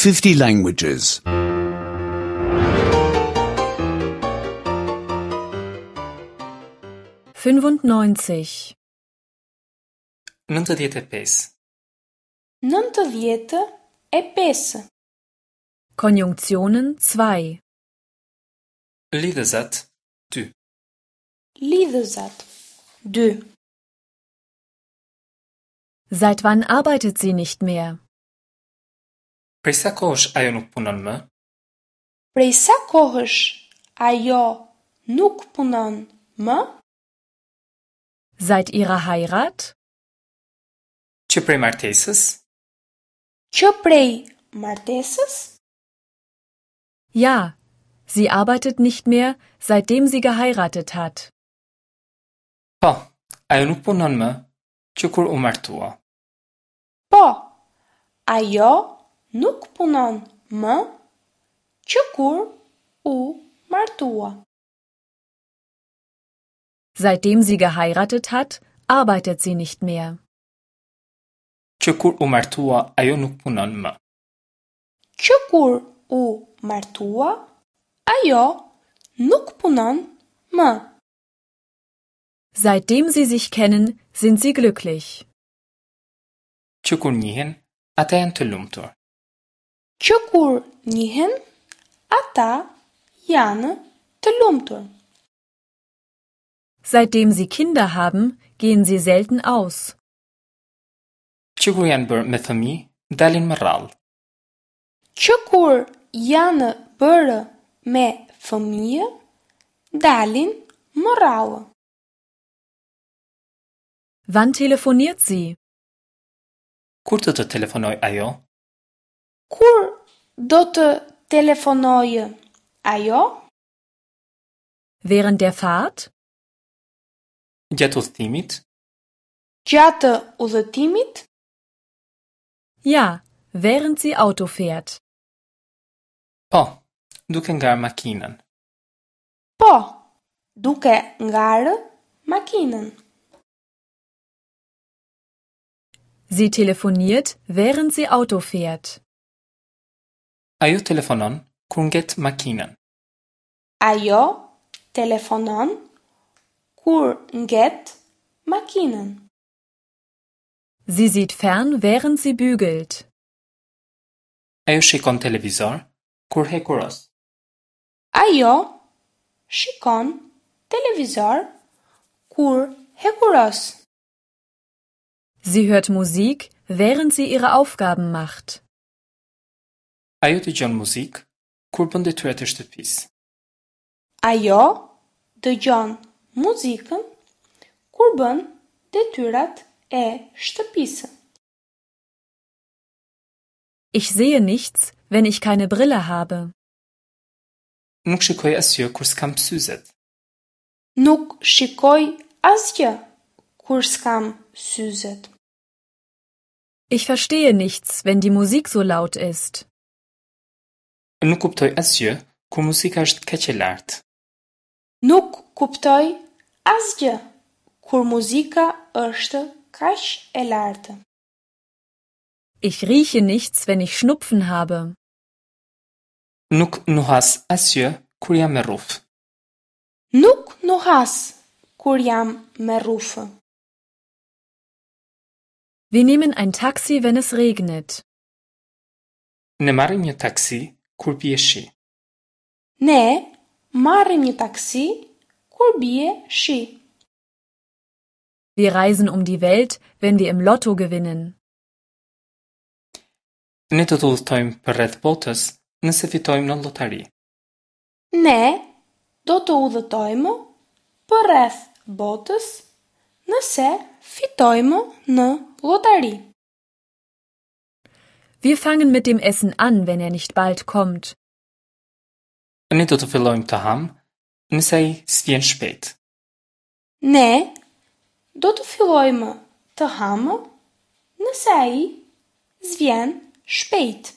50 languages. 95. 95. 95. Konjunktionen 2. Lidhëzat 2. Lidhëzat 2. Seit wann arbeitet sie nicht mehr? Prej sa kohësh ajo nuk punon më? Prej sa kohësh ajo nuk punon më? Seit ihrer Heirat? Që prej martesës? Që prej martesës? Ja, sie arbeitet nicht mehr, seitdem sie geheiratet hat. Po, ajo nuk punon më që kur u martua. Po, ajo nuk punon më që kur u martua. Seitdem sie geheiratet hat, arbeitet sie nicht mehr. Që kur u martua ajo nuk punon më. Që kur u martua, ajo nuk punon më. Seitdem sie sich kennen, sind sie glücklich. Që kur njihen, ata janë të lumtur. Që kur njihen, ata janë të lumtur. Seitdem sie Kinder haben, gehen sie selten aus. Që kur janë bërë me fëmijë, dalin më rrallë. Që kur janë bërë me fëmijë, dalin më rrallë. Wann telefoniert sie? Kur do të telefonoj ajo? Kur do të telefonojë ajo? Während der Fahrt? Gjatë udhëtimit? Gjatë udhëtimit? Ja, während sie Auto fährt. Po, duke ngarë makinën. Po, duke ngarë makinën. Sie telefoniert, während sie Auto fährt. Ajo telefonon kur nget makinën. Ajo telefonon kur nget makinën. Sie sieht fern, während sie bügelt. Ajo shikon televizor kur hekuros. Ajo shikon televizor kur hekuros. Sie hört Musik, während sie ihre Aufgaben macht. Ajo dëgjon muzikë kur bën detyrat e shtëpisë. Ajo dëgjon muzikën kur bën detyrat e shtëpisë. Ich sehe nichts, wenn ich keine Brille habe. Nuk shikoj asgjë kur s'kam syzet. Nuk shikoj asgjë kur s'kam syzet. Ich verstehe nichts, wenn die Musik so laut ist. Nuk kuptoj asgjë kur muzika është kaq e lartë. Nuk kuptoj asgjë kur muzika është kaq e lartë. Ich rieche nichts, wenn ich Schnupfen habe. Nuk nuhas asgjë kur jam me rrufë. Nuk nuhas kur jam me rrufë. Wir nehmen ein Taxi, wenn es regnet. Ne marrim një taksi kur bie shi. Ne marrim një taksi kur bie shi. Wir reisen um die Welt, wenn wir im Lotto gewinnen. Ne do të udhëtojmë përreth botës nëse fitojmë në llotari. Ne do të udhëtojmë përreth botës nëse fitojmë në llotari. Wir fangen mit dem Essen an, wenn er nicht bald kommt. Ne do të fillojmë të ham nëse ai s'vjen shpejt. Ne do të fillojmë të hamë nëse ai s'vjen shpejt.